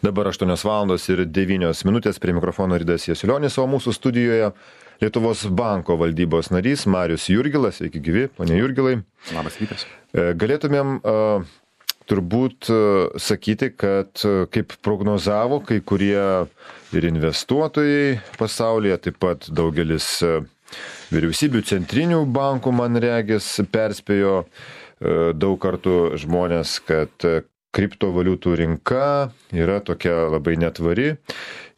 Dabar 8:09 prie mikrofono Ridas Jasilionis, o mūsų studijoje Lietuvos banko valdybos narys Marius Jurgilas. Sveiki gyvi, ponė Jurgilai. Labas rytas. Galėtumėm turbūt sakyti, kad kaip prognozavo kai kurie ir investuotojai pasaulyje, taip pat daugelis vyriausybių centrinių bankų, man regis, perspėjo daug kartų žmonės, kad kriptovaliutų rinka yra tokia labai netvari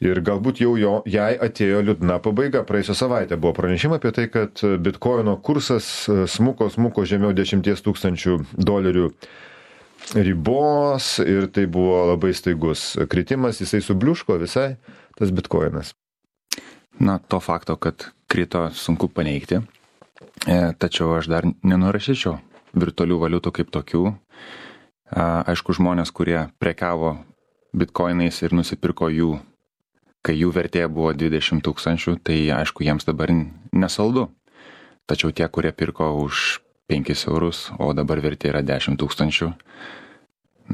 ir galbūt jau jai atėjo liūdna pabaiga. Praėjusią savaitę buvo pranešimai apie tai, kad bitkoino kursas smuko žemiau $10,000 ribos ir tai buvo labai staigus kritimas, jisai subliuško visai tas bitkoinas. Na, to fakto, kad krito, sunku paneigti, tačiau aš dar nenurašyčiau virtualių valiutų kaip tokių. Aišku, žmonės, kurie prekiavo bitkoinais ir nusipirko jų, kai jų vertė buvo 20,000, tai aišku, jiems dabar nesaldu. Tačiau tie, kurie pirko už 5 eurus, o dabar vertė yra 10,000,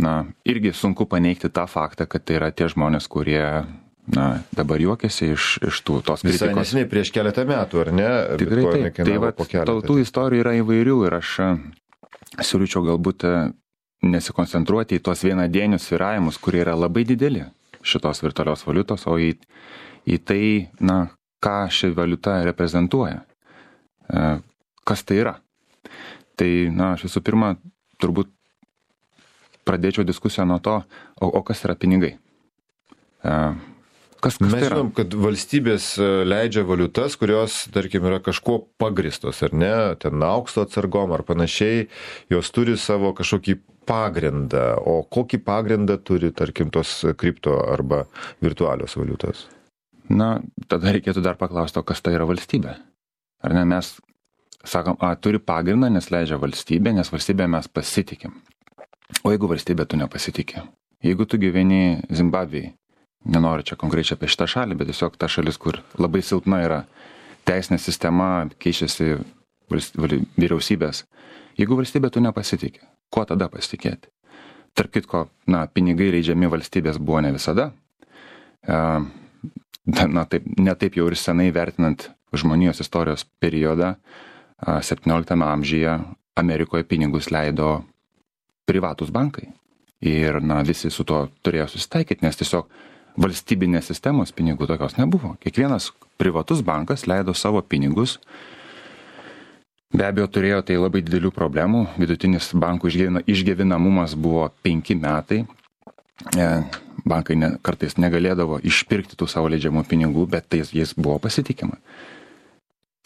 na, irgi sunku paneigti tą faktą, kad tai yra tie žmonės, kurie, na, dabar juokiasi iš tos kritikos. Visai nesiniai prieš keletą metų, ar ne? Tikrai taip. Tai va, tų istorijų yra įvairių ir aš siūlyčiau galbūt nesikoncentruoti į tos vienadienius svyravimus, kurie yra labai dideli šitos virtualios valiutos, o į tai, na, ką ši valiuta reprezentuoja. Kas tai yra? Tai, na, aš visų pirma, turbūt pradėčiau diskusiją nuo to, o kas yra pinigai? Kas Mes tai yra? žinom, kad valstybės leidžia valiutas, kurios, tarkim, yra kažkuo pagristos, ar ne, ten aukso atsargom ar panašiai, jos turi savo kažkokį pagrindą. O kokį pagrindą turi, tarkim, tos kripto arba virtualios valiutos? Na, tada reikėtų dar paklausti, kas tai yra valstybė. Ar ne, mes sakom, turi pagrindą, nes leidžia valstybė, nes valstybė mes pasitikim. O jeigu valstybė tu nepasitikė? Jeigu tu gyveni Zimbabvėje, nenoriu čia konkrečiai apie šitą šalį, bet tiesiog ta šalis, kur labai silpna yra teisinė sistema, keičiasi vyriausybės. Jeigu valstybė tu nepasitikė, kuo tada pasitikėti? Tarp kitko, na, pinigai leidžiami valstybės buvo ne visada. Na, ne taip jau ir senai vertinant žmonijos istorijos periodą, 17 amžiuje Amerikoje pinigus leido privatus bankai. Ir, na, visi su to turėjo susitaikyti, nes tiesiog valstybinės sistemos pinigų tokios nebuvo. Kiekvienas privatus bankas leido savo pinigus. Be abejo, turėjo tai labai didelių problemų. Vidutinis bankų išgyvenamumas buvo 5 metai. Bankai kartais negalėdavo išpirkti tų savo leidžiamų pinigų, bet tai jais buvo pasitikima.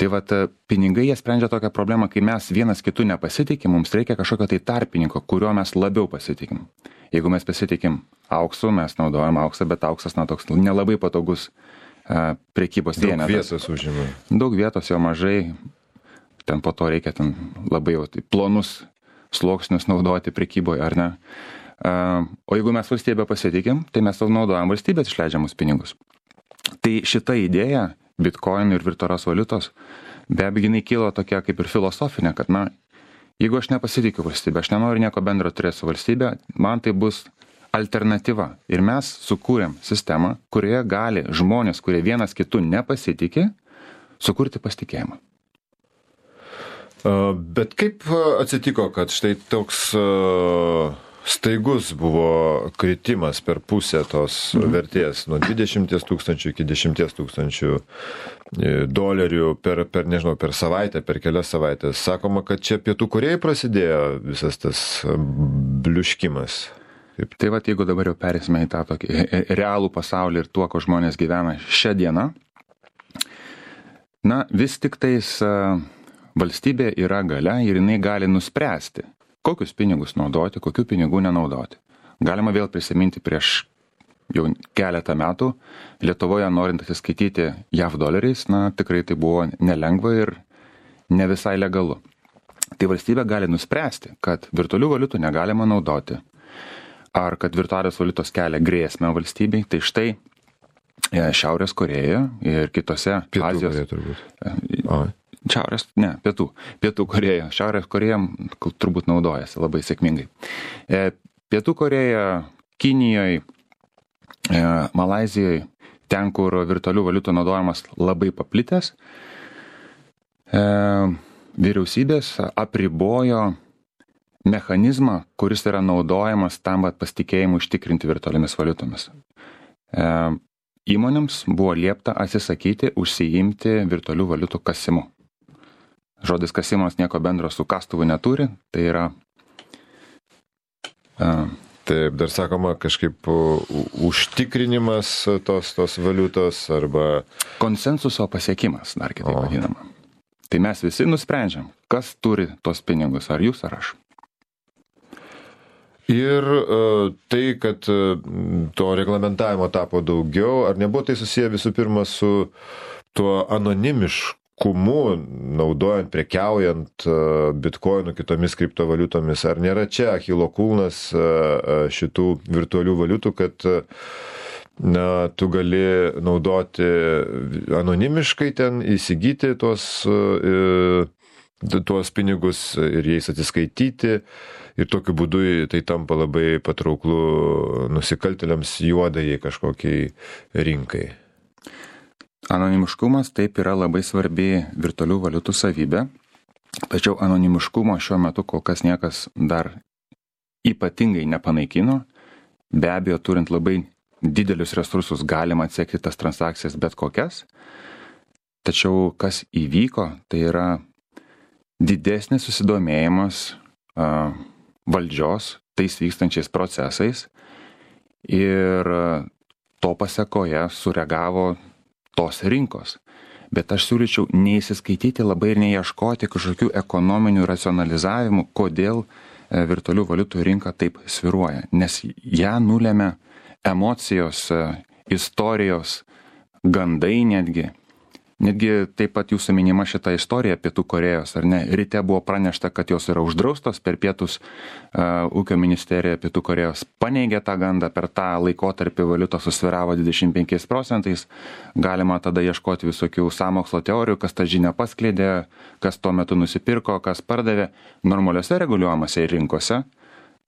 Tai vat, pinigai jie sprendžia tokią problemą, kai mes vienas kitų nepasitikim, mums reikia kažkokio tai tarpininko, kuriuo mes labiau pasitikim. Jeigu mes pasitikim auksu, mes naudojam auksą, bet auksas, na, toks nelabai patogus prekybos vienetas. Daug vietos užima. Daug vietos jo mažai, ten po to reikia ten labai jau tai plonus sluoksnius naudoti prekyboje, ar ne? O jeigu mes valstybę pasitikim, tai mes naudojam valstybės išleidžiamus pinigus. Tai šita idėja bitkoinų ir virtualios valiutos, be abejo, jinai kilo tokia kaip ir filosofinė, kad, na, jeigu aš nepasitikiu valstybę, aš nenoriu nieko bendro turėti su valstybė, man tai bus alternatyva. Ir mes sukūrėm sistemą, kurioje gali žmonės, kurie vienas kitų nepasitikė, sukurti pasitikėjimą. Bet kaip atsitiko, kad štai toks staigus buvo kritimas per pusę tos vertės nuo 20,000 iki 10,000 dolerių per savaitę, per kelias savaitės. Sakoma, kad čia Pietų Korėjai prasidėjo visas tas bliuškimas. Taip. Tai vat, jeigu dabar jau perėsime į tą tokį realų pasaulį ir tuo, ko žmonės gyvena šią dieną, na, vis tik tais valstybė yra galia ir jinai gali nuspręsti, kokius pinigus naudoti, kokių pinigų nenaudoti. Galima vėl prisiminti prieš jau keletą metų Lietuvoje norint atsiskaityti JAV doleriais, na, tikrai tai buvo nelengva ir ne visai legalu. Tai valstybė gali nuspręsti, kad virtualių valiutų negalima naudoti, ar kad virtualios valiutos kelia grėsmę valstybei. Tai štai Šiaurės Korėja ir kitose Azijos... Pietų Korėja. Šiaurės Korėja turbūt naudojasi labai sėkmingai. Pietų Korėja, Kinijoje, Malaizijoje, ten, kur virtualių valiutų naudojimas labai paplitęs, vyriausybės apribojo mechanizmą, kuris yra naudojamas tam pasitikėjimui užtikrinti virtualiomis valiutomis. Įmonėms buvo liepta atsisakyti užsiimti virtualių valiutų kasimu. Žodis kasimas nieko bendro su kastuvu neturi, tai yra... Taip, dar sakoma kažkaip užtikrinimas tos valiutos arba... Konsensuso pasiekimas, dar kitaip vadinama. Tai mes visi nusprendžiam, kas turi tos pinigus, ar jūs, ar aš. Ir tai, kad to reglamentavimo tapo daugiau, ar nebuvo tai susiję visų pirma su tuo anonimiškumu, naudojant, prekiaujant bitkoinų kitomis kriptovaliutomis, ar nėra čia achilo kulnas šitų virtualių valiutų, kad tu gali naudoti anonimiškai ten, įsigyti tuos pinigus ir jais atsiskaityti. Ir tokiu būdu tai tampa labai patrauklu nusikaltėliams juodajai kažkokiai rinkai. Anonimiškumas taip yra labai svarbi virtualių valiutų savybė, tačiau anonimiškumo šiuo metu kol kas niekas dar ypatingai nepanaikino. Be abejo, turint labai didelius resursus galima atsekti tas transakcijas bet kokias, tačiau kas įvyko, tai yra didesnis susidomėjimas valdžios tais vykstančiais procesais ir to pasekoje sureagavo tos rinkos. Bet aš siūlyčiau neįsiskaityti labai ir neieškoti kažkokių ekonominių racionalizavimų, kodėl virtualių valiutų rinka taip svyruoja, nes ją nulėmė emocijos, istorijos, gandai netgi. Netgi taip pat jūsų minima šita istorija Pietų Korėjos, ar ne? Ryte buvo pranešta, kad jos yra uždraustos, per pietus ūkio ministerija Pietų Korėjos paneigė tą gandą, per tą laikotarpį valiutos susvyravo 25%, galima tada ieškoti visokių sąmokslo teorijų, kas tą žinią paskleidė, kas tuo metu nusipirko, kas pardavė. Normaliuose reguliuojamose rinkose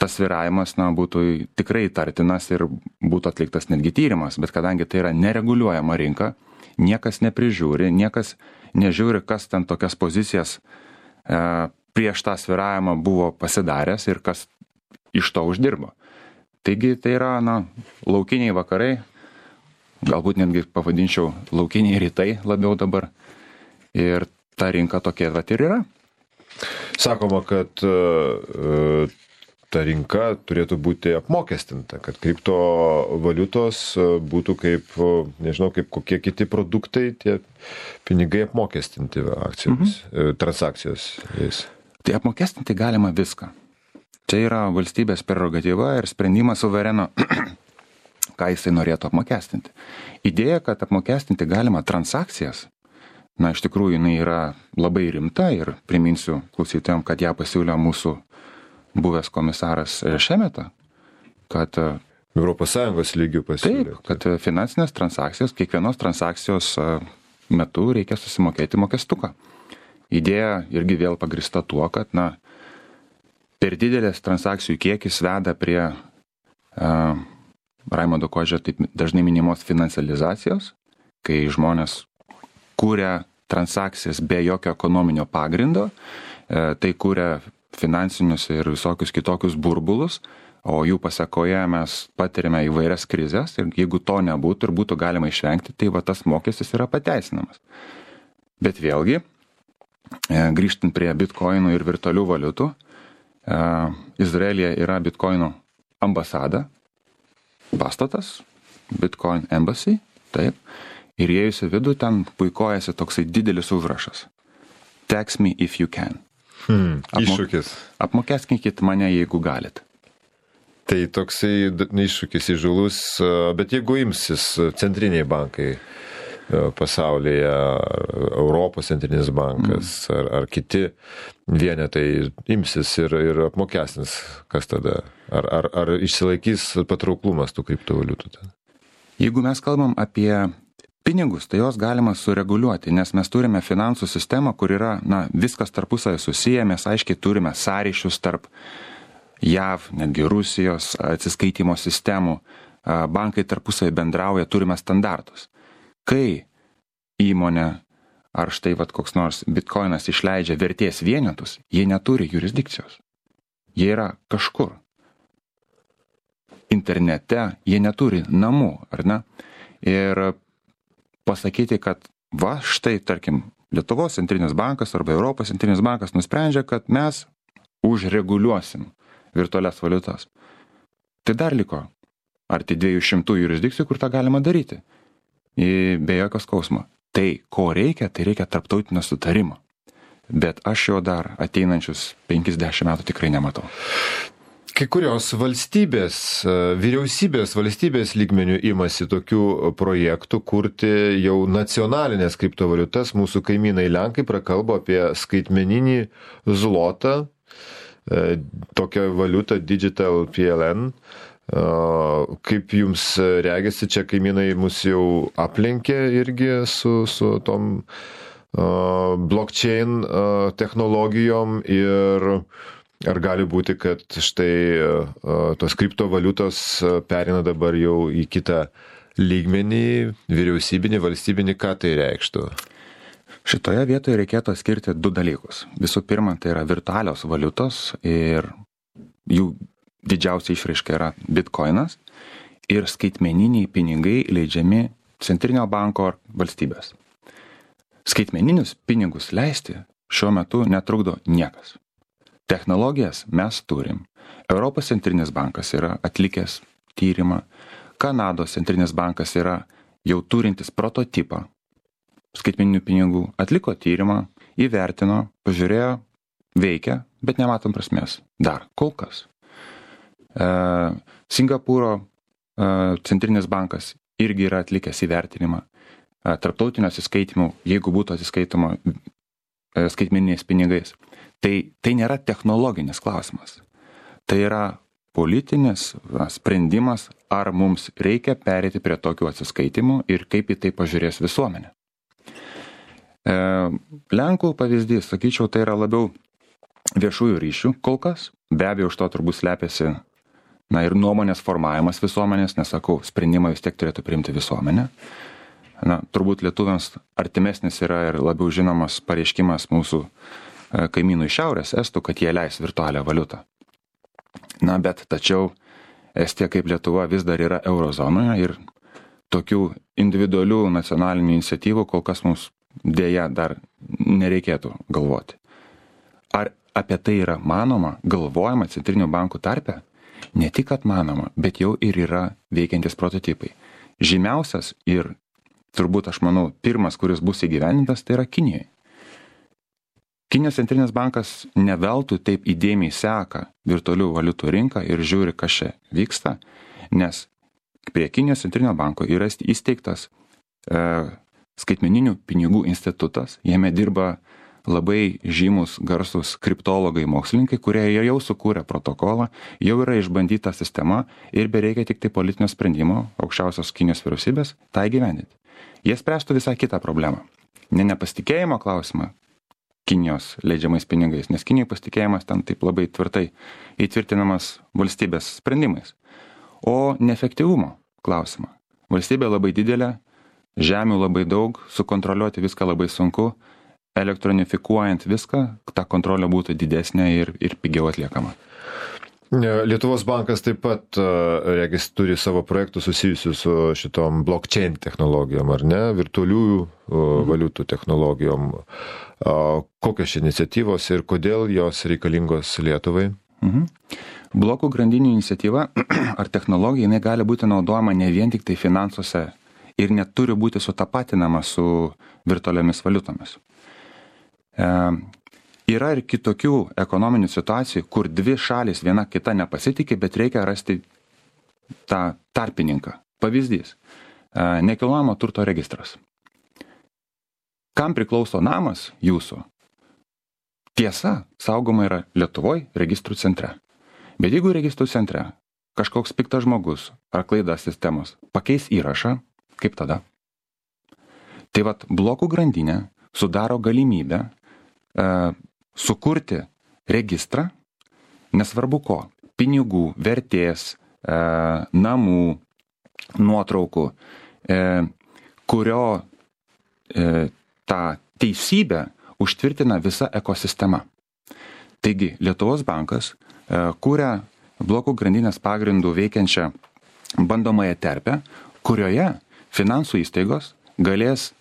tas svyravimas būtų tikrai tartinas ir būtų atliktas netgi tyrimas, bet kadangi tai yra nereguliuojama rinka, niekas neprižiūri, niekas nežiūri, kas ten tokias pozicijas prieš tą svyravimą buvo pasidaręs ir kas iš to uždirbo. Taigi tai yra laukiniai vakarai, galbūt netgi pavadinčiau laukiniai rytai labiau dabar, ir ta rinka tokia vat ir yra. Sakoma, kad ta rinka turėtų būti apmokestinta, kad kriptovaliutos būtų kaip, nežinau, kaip kokie kiti produktai, tie pinigai apmokestinti akcijomis, transakcijos jais. Tai apmokestinti galima viską. Čia yra valstybės prerogatyva ir sprendimas suvereno, ką jisai norėtų apmokestinti. Idėja, kad apmokestinti galima transakcijas, iš tikrųjų jinai yra labai rimta ir priminsiu klausytojams, kad ją pasiūlė mūsų buvęs komisaras Šemeta, kad ES lygių pasiūlė. Taip, kad finansinės transakcijos, kiekvienos transakcijos metu reikia susimokėti mokestuką. Idėja irgi vėl pagrįsta tuo, kad per didelės transakcijų kiekis veda prie Raimondo Kožio taip dažnai minimos financializacijos, kai žmonės kūrė transakcijas be jokio ekonominio pagrindo, tai kūrė finansinius ir visokius kitokius burbulus, o jų pasekoje mes patirime įvairias krizės ir jeigu to nebūtų ir būtų galima išvengti, tai tas mokestis yra pateisinamas. Bet vėlgi, grįžtant prie bitkoinų ir virtualių valiutų, Izraelyje yra bitkoinų ambasada, pastatas, Bitcoin Embassy, taip, ir įėjus į vidų ten puikuojasi toksai didelis užrašas. Tax me if you can. Iššūkis. Apmokestinkit mane, jeigu galit. Tai toksai iššūkis įžūlus, bet jeigu imsis centriniai bankai pasaulyje, Europos centrinis bankas ar kiti vienetai imsis ir apmokestins, kas tada? Ar išsilaikys patrauklumas tų kriptovaliutų ten? Jeigu mes kalbam apie pinigus, tai jos galima sureguliuoti, nes mes turime finansų sistemą, kur yra viskas tarpusavy susiję, mes aiškiai turime sąryšius tarp JAV, netgi Rusijos atsiskaitimo sistemų, bankai tarpusavį bendrauja, turime standartus. Kai įmonė ar štai koks nors bitcoinas išleidžia vertės vienetus, jie neturi jurisdikcijos. Jie yra kažkur. Internete jie neturi namų, ar ne? Ir pasakyti, kad štai, tarkim, Lietuvos centrinis bankas arba Europos centrinis bankas nusprendžia, kad mes užreguliuosim virtualias valiutas. Tai dar liko arti 200 jurisdikcijų, kur tą galima daryti. Be jokio skausmo. Tai, ko reikia, tai reikia tarptautinio sutarimo. Bet aš jo dar ateinančius 50 metų tikrai nematau. Kai kurios valstybės, valstybės lygmenių imasi tokių projektų kurti jau nacionalinės kriptovaliutas. Mūsų kaimynai Lenkai prakalbo apie skaitmeninį zlotą, tokią valiutą Digital PLN. Kaip jums regisi, čia kaimynai mus jau aplenkė irgi su tom blockchain technologijom ir ar gali būti, kad štai tos kriptovaliutos perina dabar jau į kitą lygmenį, vyriausybinį, valstybinį, ką tai reikštų? Šitoje vietoje reikėtų skirti du dalykus. Visų pirma, tai yra virtualios valiutos ir jų didžiausia išraiška yra bitcoinas ir skaitmeniniai pinigai leidžiami centrinio banko ar valstybės. Skaitmeninius pinigus leisti šiuo metu netrukdo niekas. Technologijas mes turim. Europos centrinis bankas yra atlikęs tyrimą. Kanados centrinis bankas yra jau turintis prototipą skaitmeninių pinigų. Atliko tyrimą, įvertino, pažiūrėjo, veikia, bet nematom prasmės. Dar kol kas. Singapūro centrinis bankas irgi yra atlikęs įvertinimą. Tarptautinio atsiskaitimų, jeigu būtų atsiskaitoma skaitmeniniais pinigais. Tai nėra technologinis klausimas. Tai yra politinis sprendimas, ar mums reikia pereiti prie tokių atsiskaitimų ir kaip į tai pažiūrės visuomenė. Lenkų pavyzdys, sakyčiau, tai yra labiau viešųjų ryšių kol kas. Be abejo, už to turbūt slepiasi ir nuomonės formavimas visuomenės, nes sakau, sprendimą vis tiek turėtų priimti visuomenė. Turbūt lietuviams artimesnis yra ir labiau žinomas pareiškimas mūsų kaimynų iš šiaurės, estų, kad jie leis virtualią valiutą. Bet tačiau Estija kaip Lietuva vis dar yra eurozonoje ir tokių individualių nacionalinių iniciatyvų kol kas mums dėja dar nereikėtų galvoti. Ar apie tai yra manoma, galvojama centrinių bankų tarpe? Ne tik kad manoma, bet jau ir yra veikiantis prototipai. Žymiausias ir turbūt, aš manau, pirmas, kuris bus įgyvendintas, tai yra Kinijoje. Kinijos centrinis bankas ne veltui taip įdėmiai seka virtualių valiutų rinką ir žiūri, kas čia vyksta, nes prie Kinijos centrinio banko yra įsteigtas skaitmeninių pinigų institutas, jame dirba labai žymus garsūs kriptologai mokslininkai, kurie jau sukūrė protokolą, jau yra išbandyta sistema ir bereikia tik tai politinio sprendimo aukščiausios Kinijos vyriausybės tą įgyvendinti. Jie spręstų visą kitą problemą. Nepasitikėjimo klausimą Kinijos leidžiamais pinigais, nes Kinijai pasitikėjimas ten taip labai tvirtai įtvirtinamas valstybės sprendimais. O neefektyvumo klausimą. Valstybė labai didelė, žemių labai daug, sukontroliuoti viską labai sunku, elektronifikuojant viską, ta kontrolė būtų didesnė ir pigiau atliekama. Lietuvos bankas taip pat, regis, turi savo projektų susijusių su šitom blockchain technologijom, ar ne, virtualiųjų valiutų technologijom. Kokios iniciatyvos ir kodėl jos reikalingos Lietuvai? Blokų grandinių iniciatyva ar technologija, jinai gali būti naudojama ne vien tik tai finansuose ir neturi būti sutapatinama su virtualiomis valiutomis. Yra ir kitokių ekonominių situacijų, kur dvi šalis viena kita nepasitikė, bet reikia rasti tą tarpininką. Pavyzdys. Nekilnojamo turto registras. Kam priklauso namas jūsų? Tiesa, saugoma yra Lietuvoj registrų centre. Bet jeigu registrų centre kažkoks piktas žmogus ar klaida sistemos pakeis įrašą, kaip tada? Tai blokų grandinė sudaro galimybę sukurti registrą, nesvarbu ko, pinigų, vertės, namų, nuotraukų, kurio tą teisybę užtvirtina visa ekosistema. Taigi, Lietuvos bankas kūrė blokų grandinės pagrindų veikiančią bandomąją terpę, kurioje finansų įstaigos galės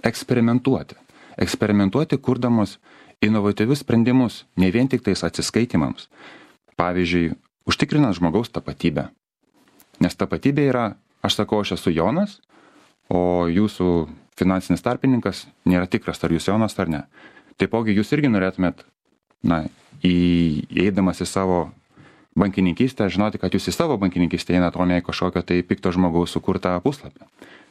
eksperimentuoti, kurdamos inovatyvius sprendimus, ne vien tik tais atsiskaitimams. Pavyzdžiui, užtikrinant žmogaus tapatybę. Nes tapatybė yra, aš sakau, aš esu Jonas, o jūsų finansinis tarpininkas nėra tikras, ar jūs Jonas ar ne. Taipogi jūs irgi norėtumėt, įeidamas į savo bankininkystę, žinoti, kad jūs į savo bankininkystę einat, o ne į kažkokio tai pikto žmogaus sukurtą puslapį.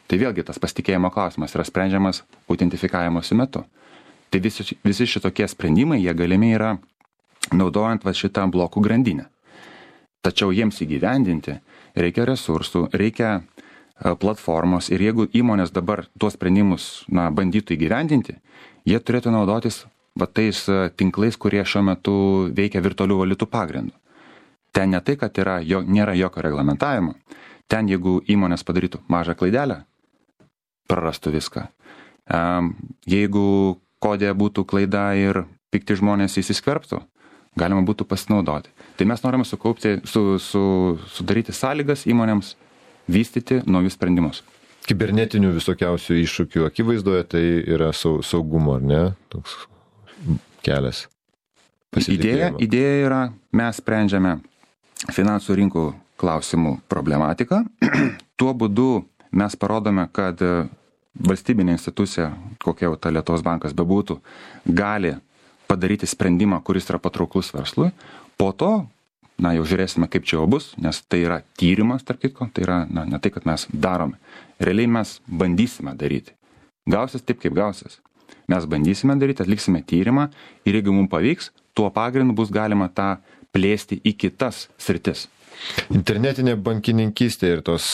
Tai vėlgi tas pasitikėjimo klausimas yra sprendžiamas autentifikavimosi metu. Tai visi šitokie sprendimai, jie galimi yra naudojant šitą blokų grandinę. Tačiau jiems įgyvendinti reikia resursų, reikia platformos ir jeigu įmonės dabar tuos sprendimus bandytų įgyvendinti, jie turėtų naudotis tais tinklais, kurie šiuo metu veikia virtualių valiutų pagrindų. Ten ne tai, kad nėra jokio reglamentavimo. Ten, jeigu įmonės padarytų mažą klaidelę, prarastų viską. Jeigu kodė būtų klaida ir pikti žmonės įsiskverbtų, galima būtų pasinaudoti. Tai mes norime sudaryti sąlygas įmonėms vystyti naujus sprendimus. Kibernetinių visokiausių iššūkių akivaizdoje tai yra saugumo, ar ne? Toks kelias. Idėja yra, mes sprendžiame finansų rinkų klausimų problematiką. Tuo būdu mes parodome, kad valstybinė institucija, kokia jau ta Lietuvos bankas bebūtų, gali padaryti sprendimą, kuris yra patrauklus verslui. Po to, jau žiūrėsime, kaip čia jau bus, nes tai yra tyrimas, tarp kitko, tai yra ne tai, kad mes darome. Realiai mes bandysime daryti. Gausis taip, kaip gausis. Mes bandysime daryti, atliksime tyrimą ir jeigu mums pavyks, tuo pagrindu bus galima tą plėsti į kitas sritis. Internetinė bankininkystė ir tos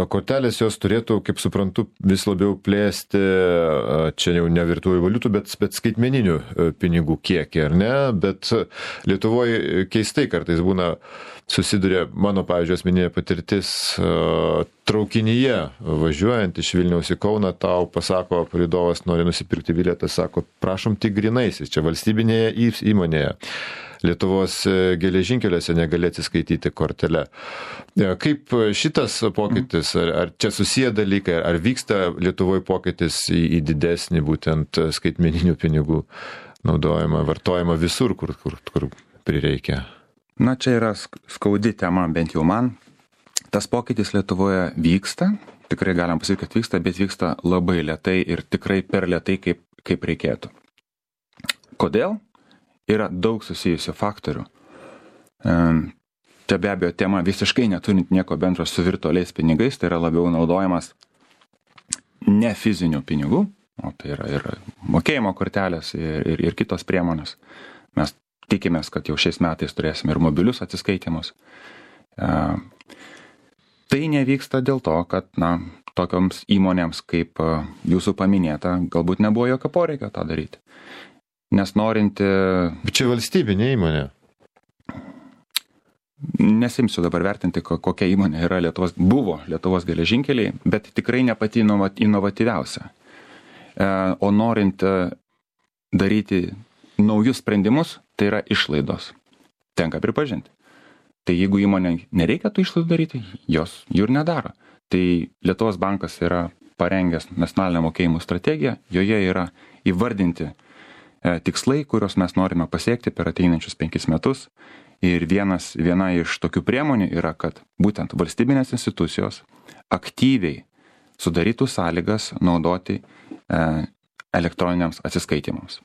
kortelės jos turėtų, kaip suprantu, vis labiau plėsti, čia jau ne virtualių valiutų, bet skaitmeninių pinigų kiekį, ar ne? Bet Lietuvoje keistai kartais būna susiduria, mano, pavyzdžiui, asmeninė patirtis, traukinyje važiuojant iš Vilniaus į Kauną, tau pasako, palydovas nori nusipirkti bilietą, sako, prašom tik grynaisiais, čia valstybinėje įmonėje. Lietuvos geležinkeliuose negali atsiskaityti kortelę. Kaip šitas pokytis, ar čia susiję dalykai, ar vyksta Lietuvoje pokytis į didesnį būtent skaitmeninių pinigų naudojimą, vartojimą visur, kur prireikia? Čia yra skaudi tema, bent jau man. Tas pokytis Lietuvoje vyksta, tikrai galim pasakyti, kad vyksta, bet vyksta labai lėtai ir tikrai per lėtai, kaip reikėtų. Kodėl? Yra daug susijusių faktorių. Čia be abejo tema visiškai neturint nieko bendro su virtualiais pinigais, tai yra labiau naudojamas ne fizinių pinigų, o tai yra ir mokėjimo kortelės ir kitos priemonės. Mes tikimės, kad jau šiais metais turėsime ir mobilius atsiskaitimus. Tai nevyksta dėl to, kad tokioms įmonėms kaip jūsų paminėta, galbūt nebuvo jokio poreikio tą daryti. Nes norinti... Bet čia valstybinė įmonė. Nesimsiu dabar vertinti, kokia įmonė yra buvo Lietuvos geležinkeliai, bet tikrai ne pati inovatyviausia. O norint daryti naujus sprendimus, tai yra išlaidos. Tenka pripažinti. Tai jeigu įmonė nereikia tų išlaidų daryti, jos jų ir nedaro. Tai Lietuvos bankas yra parengęs nacionalinę mokėjimų strategiją, joje yra įvardinti tikslai, kuriuos mes norime pasiekti per ateinančius 5 metus. Ir viena iš tokių priemonių yra, kad būtent valstybinės institucijos aktyviai sudarytų sąlygas naudoti elektroniniams atsiskaitimams.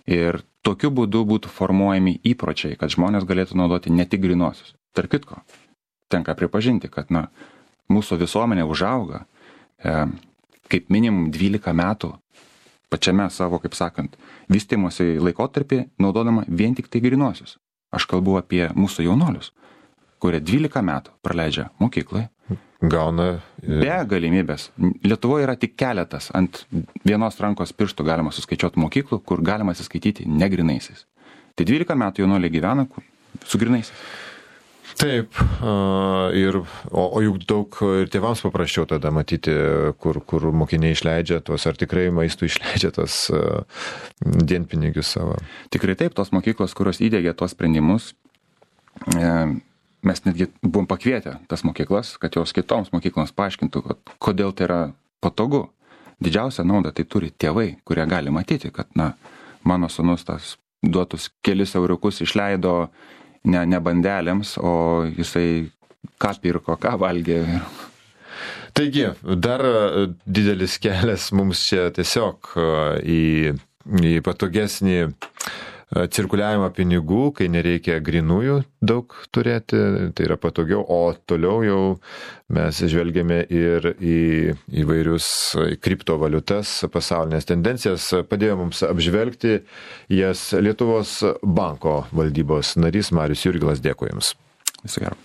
Ir tokiu būdu būtų formuojami įpročiai, kad žmonės galėtų naudoti ne tik grynuosius. Tarp kitko, tenka pripažinti, kad mūsų visuomenė užauga kaip minimum 12 metų pačiame savo, kaip sakant, vystymosi laikotarpį naudodama vien tik tai grynuosius. Aš kalbu apie mūsų jaunolius, kurie 12 metų praleidžia mokyklai. Gauna. Be galimybės. Lietuvoje yra tik keletas, ant vienos rankos pirštų galima suskaičiuoti mokyklų, kur galima atsiskaityti negrynaisiais. Tai 12 metų jaunoliai gyvena su grynaisiais. Taip, o juk daug ir tėvams paprasčiau tada matyti, kur mokiniai išleidžia tuos, ar tikrai maistų išleidžia tuos dienpinigius savo. Tikrai taip, tos mokyklos, kurios įdėgė tuos sprendimus, mes netgi buvom pakvietę tas mokyklas, kad jos kitoms mokykloms paaiškintų, kodėl tai yra patogu. Didžiausią naudą tai turi tėvai, kurie gali matyti, kad, mano sūnus tas duotus kelis euriukus išleido ne bandelėms, o jisai ką pirko, ką valgė. Taigi, dar didelis kelias mums čia tiesiog į patogesnį cirkuliavimą pinigų, kai nereikia grinųjų daug turėti, tai yra patogiau, o toliau jau mes žvelgiame ir į įvairius kriptovaliutas, pasaulinės tendencijas. Padėjo mums apžvelgti jas Lietuvos banko valdybos narys Marius Jurgilas. Dėkui Jums. Viso gero.